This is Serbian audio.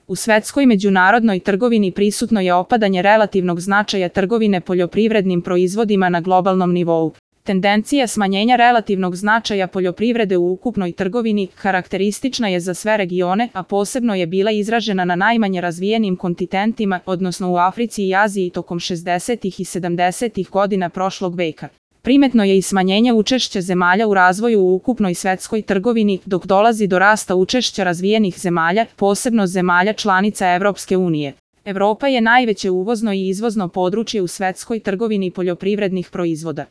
U svetskoj međunarodnoj trgovini prisutno je opadanje relativnog značaja trgovine poljoprivrednim proizvodima na globalnom nivou. Tendencija smanjenja relativnog značaja poljoprivrede u ukupnoj trgovini karakteristična je za sve regione, a posebno je bila izražena na najmanje razvijenim kontinentima, odnosno u Africi i Aziji tokom 60. i 70. godina prošlog veka. Primetno je i smanjenje učešća zemalja u razvoju u ukupnoj svetskoj trgovini, dok dolazi do rasta učešća razvijenih zemalja, posebno zemalja članica Evropske unije. Evropa je najveće uvozno i izvozno područje u svetskoj trgovini poljoprivrednih proizvoda.